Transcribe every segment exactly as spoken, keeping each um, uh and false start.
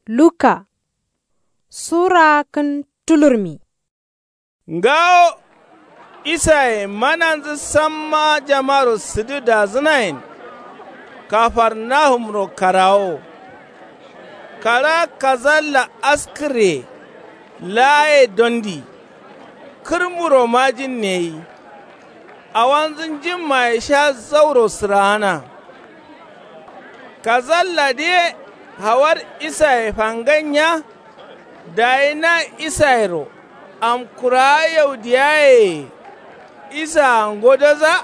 Luka sura kǝn tulurmi. Ngawo isaye mananzǝ samma jamaro sǝdǝ dazǝnayen. Kafarnahumro karawo kara kazalla askǝrye laaye dondi. Kǝrmuro majin neyi. Awanzǝ njimmaye sha zauro sǝraana. Kazalladǝ ye hawar isaye fanganya. Dayi na isayero amkurawa yaudiyayeye. Isaa ngodoza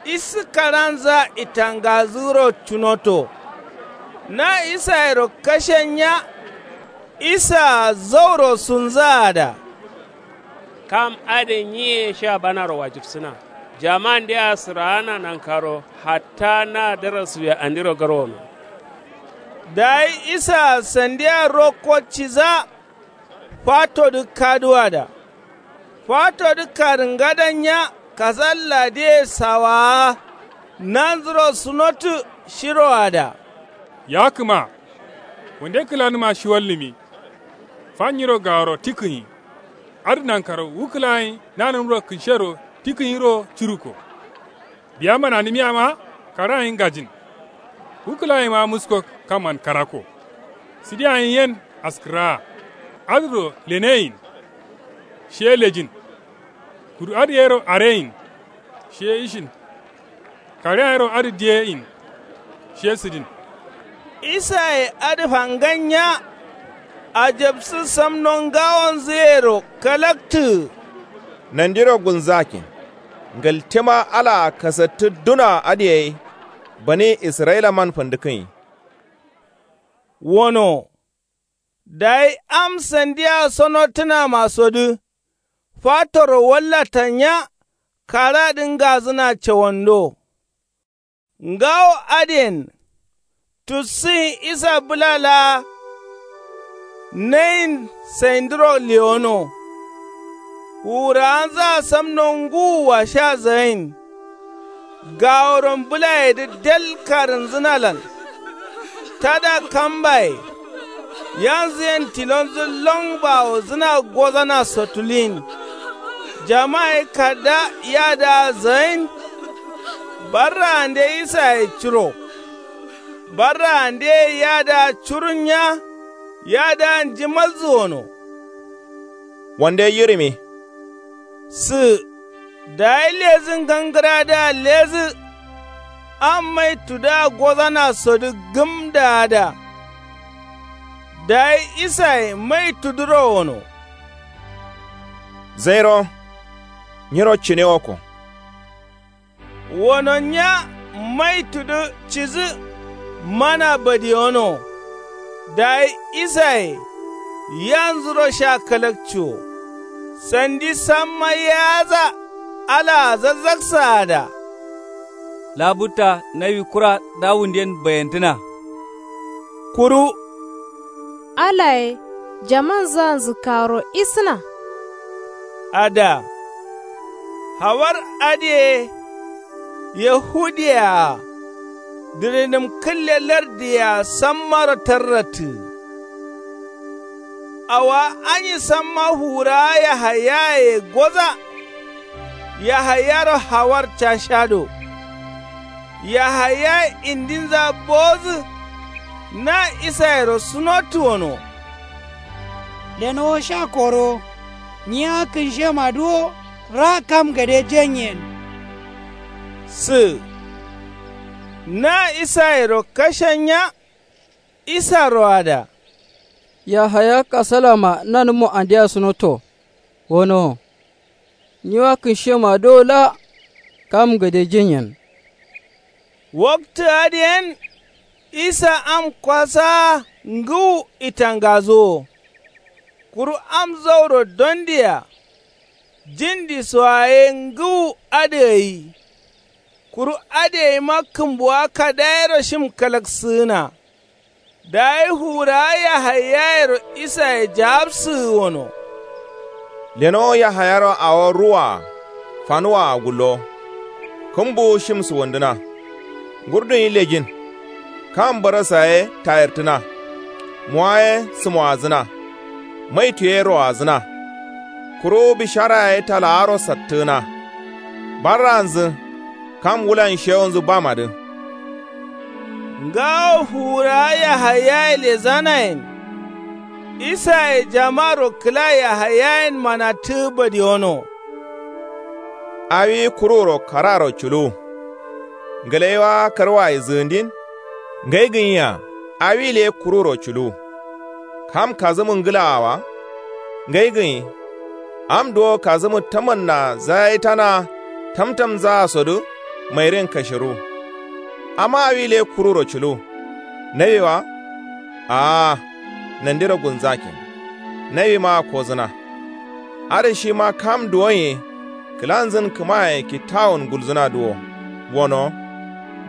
isǝ karanzǝa itangazǝro cunoto. Na isayero kashenya isaa zauro sunzǝa ada. Kam adǝ nyiye sha banaro wajibsǝna. Jamandea sǝraana nankaro hatta na darasuye andiro garwono. Dayi isaa sandia rokko ciza. Fatodǝ kaduwada fatodǝ karǝngadanya. Kasalladǝye sawaa nanzuro sunotǝ shiroada. Ya kǝma wande kǝlanǝma shiwallǝmi. Fanyiro gaworo tikǝnyi. Adǝ nankaro wu kǝlayen nanǝmro kǝnshero tikǝnyiro curuko. Biya mananǝmiyama karayen ngajin. Wu kǝlayema musko kamman karakko. Sǝdiyayen yen askǝraa. Adǝro leneyin. Shiye lejin. Kuru adǝ yero areyin. Shiye ishin. Kareyayero adǝ diyeyin. Shiye sǝdin. Isaye adǝ fanganya. Ajabsǝ samno ngawonzǝyero kalaktǝgǝ. Nandiro gulnzakin. Ngǝltima alaa kasattǝ duna adǝ gai. Bani isra'ilaman fǝndǝkǝnyi. Wono. Dayi am sandia sonotǝnamasodǝ fatoro wallatanya. Karadǝ ngazǝna cawando. Ngawo adǝyen tussǝnyi isa bǝla laa. Nayin saindǝro lewono. Fuwurawanzǝa samno ngǝwua sha zayin. Gaworon bǝlayedǝ del karǝnzǝnalan. Tada kambaye yanzǝyen tilonzǝ lon bawozǝna gozana sotuliyin. Jama ye kadda yadaa zayin. Barraande isaye curo. Barraande ye yadaa curunya. Yadaa njimalzǝ wono. Wande yirǝmi. Sǝ dayi lezǝ ngangǝradǝa lezǝ. Am maitudǝa gozanasodǝ gǝmdaada. Dayi isaye maitudǝro wono. Zairo nyiro cine wokko. Wononya maitudǝ cidǝ. Mana badiyono. Dayi isaye yanzuro sha kalakciwo. Sandi samma yaza. Alaa zazzaksaada. Labutta nawi kura dawunden bayantǝna. Kuru alaye jamanzǝa nzǝkkaro isǝna. Ada. Hawar adǝye yahudiya-a. Dǝrinǝm kǝlle lardǝye-a sammaro tarrattǝ. Awowa anyi samma fuwurawa yahayaye goza. Yahayaro hawar cashado. Yahayaye indinza bowodǝ. Na isayero sunottǝ wono. Lenowo sha korowo. Nyiya kǝnshemadǝ wo ra kam gade jenyen. Sǝ na isayero kashanya. Isaro ada. Yahaya kasalama nanǝmmo andea sunoto. Wonowo. Nyiwa kǝnshemadǝ wo la kam gade jenyen. Waktǝ adǝyen isa am kwasaa ngǝwu itangazuwo. Kuru am zauro dondiya. Jindisoa ye ngǝwu adǝ gai. Kuru adǝ gaima kǝmbuwa kadayero shim kalaksǝgǝna. Dayi fuwurawa yahayayero isaye jawabsǝgǝ wono. Lenowo yahayaro awo ruwaa fanuwaa gullowo. Kǝmbuwu shim suwandǝna. Ngurdunyi lejin. Kam barasa ye tayirtǝna. mowa ye sǝmoadzǝna. Maitu ye roadzǝna. Kuru bishara ye talaaro sattǝgǝna. Barranzǝ kam wulan shewunzǝ bamadǝ. Ngawo fuwurawa yahayaye lezanayen. Isaye jamaro kǝla yahayayen manatǝgǝ badiyono. Awi kururo kararo culuwu. Ngǝlaiwa karwaye zǝgǝndin. Ngai gǝnyiya. Awi le kururo culuwu. Kam kazǝmǝ ngǝlaa wa. Ngai gǝnyi. Am duwo kazǝmǝ tamannaa zayaitana. Tamtamzaa sodǝ mairin kashiru. Amma awi le kururo culuwu. Nawi wa. Aa. Nandiro gulnzakin. Nawima kozǝna. Adǝ shima kam duwonye. Kǝlanzǝn kǝmaye kittawun gulzǝnadǝ wo. Wono.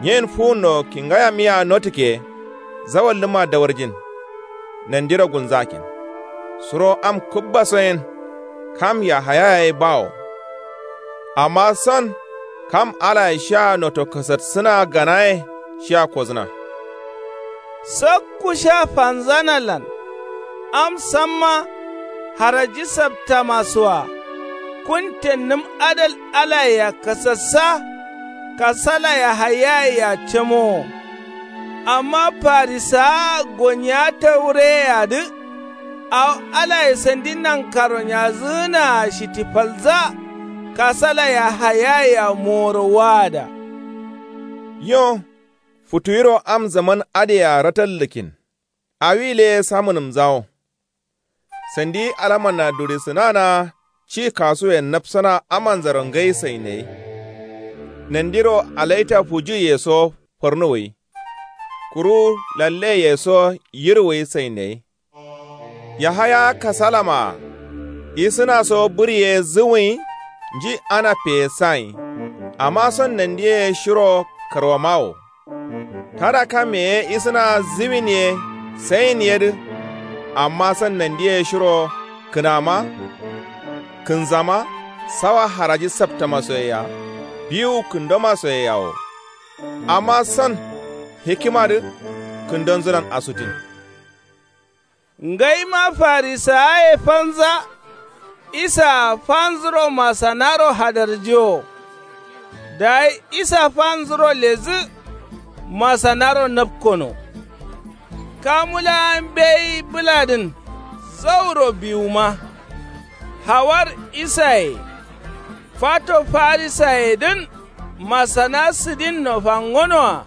Nyen fuwunno kingayamiya notǝkke. Zawallǝma dawarjin. Nandiro gulnzakin. Suro am kubbaso yen. Kam yahaya ye bawo. Amma son kam alaye shia noto kasatsǝna ganaye. Shia kozǝna. Sakku sha fanzanalan. Am samma haraji saptamasoa. Kuntennǝm adal alayea kasassa. Kasala yahayayea camowo. Amma farisawa goniya tawureyeyadǝ. Awo alaye sandi nankaro nyazǝgǝnaa shitifalza. Kasala yahayayea moworo waada. Yo. Futuwiro am zaman adǝyea ratallǝkin. Awi le samǝnǝmzawo. Sandi alamanna durisǝnana. Ci kasuwe napsana amanzaro ngai sainayi. Nandiro alaita fujuye so farnuwai. Kuru lalle ye so yirwai sainayi. Yahaya kasalama. Isǝna so bǝri ye zǝwǝnyi. Nji ana peye sayin. Amma son nandiye shiro karwamawo. Tada kame ye isǝna ziwin ye sayin yedǝ. Amma san nandiye shiro kǝnama. Kǝnzama sawa haraji saptamasoyeya. Biwu kǝndomasoyeyawo. Amma san hikimadǝ kǝndonzǝlan asutin. Ngaima farisawaye fanza. Isaa fanzuro masanaro hadarjiwo. Dayi isa fanzuro lezǝ. Masanaro napkono. Kamu laa mbeyi bǝladǝn zauro biwuma. Hawar isaye. Fato farisayedǝn masana sǝdinno fangonoa.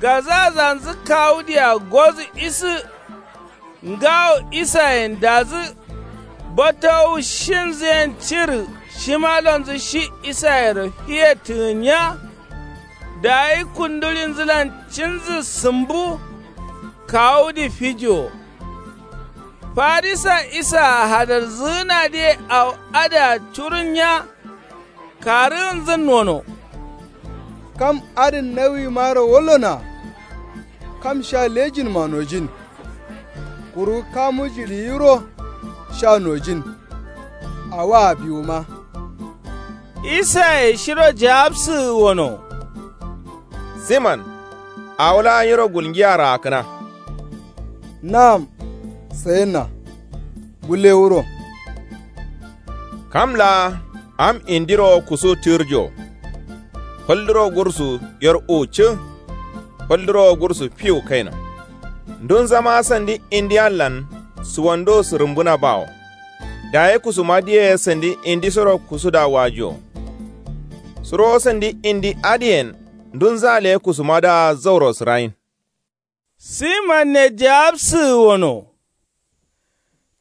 Gazazanzǝ kawudea gozǝ isǝ. Ngawo isayen dazǝ. Batowu shinzǝyen cirǝ shimalonzǝ shi isayero fiyettǝgǝnya. Dayi kundulinzǝlan cinzǝ sǝmbu. Kawudǝ fijiwo. Farisa isaa hadarzǝgǝnadǝye awo adǝa curunnya. Karǝgǝnzǝn wono. Kam adǝn nawimaro wallona. Kam sha lejinma nojin. Kuru kamu jiɍiyiro sha nojin. Awaa biwuma. Isaye shiro jawabsǝgǝ wono. Siman. Awo laa nyiro gulngiya raakkǝna. Na'am. Sayinna. Bulle wuro. Kam laa am indiro kusu tǝrjo. Falduro gursu yer uwu cǝ. Falduro gursu fiwu kaino. Ndunzama sandi indiallan suwando sǝrǝmbǝna bawo. Dayi kusumadǝye sandi indisoro kusuda wajuwo. Suro sandi indi adǝyen ndunza le kusumadǝa zauro sǝrayin. Siman ne jawabsǝgǝ wono.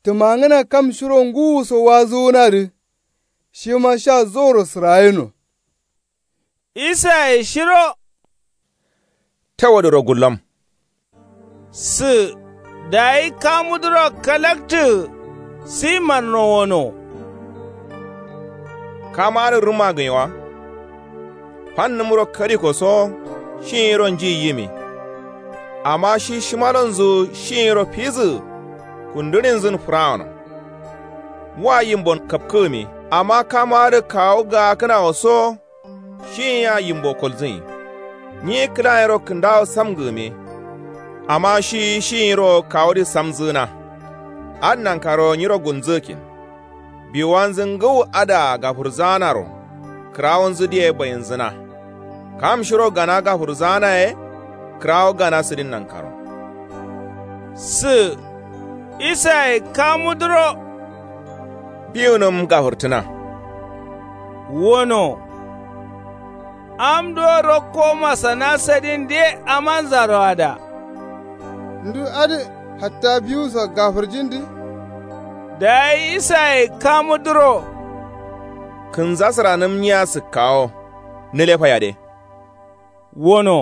Tǝmangǝna kam shiro ngǝwuso wazuwunadǝ. Shima sha zauro sǝrayino. Isaye shiro. Tawadǝro gullom. Sǝ dayi kamudǝro kalaktǝgǝ. Simanno wono. Kamadǝ rǝma gǝnyi wa. Fannǝmro kadiko so shinyiro nji yimi. Amma shi shimalonzǝ shinyiro fizǝgǝ. Kundǝrinzǝn fǝrawono. Wa yimbon kapkǝgǝmi amma kamadǝ kawu gaakkǝnawo so. Shinyia yimbo kolzǝnyi. Nyi kǝlayero kǝndawo samgǝgǝmi. Amma shi shi nyiro kawudǝ samzǝgǝna. Adǝ nankaro nyiro gulnzǝgǝkkin. Biwuwanzǝ ngǝwu adǝa gafurzaanaro kǝrawunzǝ diye bayinzǝna. Kam shiro gana gafurzaanaye kǝrawo gana sǝdin nankaro. Sǝ isaye kamudǝro. Biwunǝm gafurtǝna. Wono. Am duwo rokko masana sadin de amanzaro ada. Ndu adǝ hatta biwuso gafurjindǝ. Dayi isaye kamudǝro. Kǝnzasǝranǝm nyiya sǝkkawo nǝle fayade. Wono.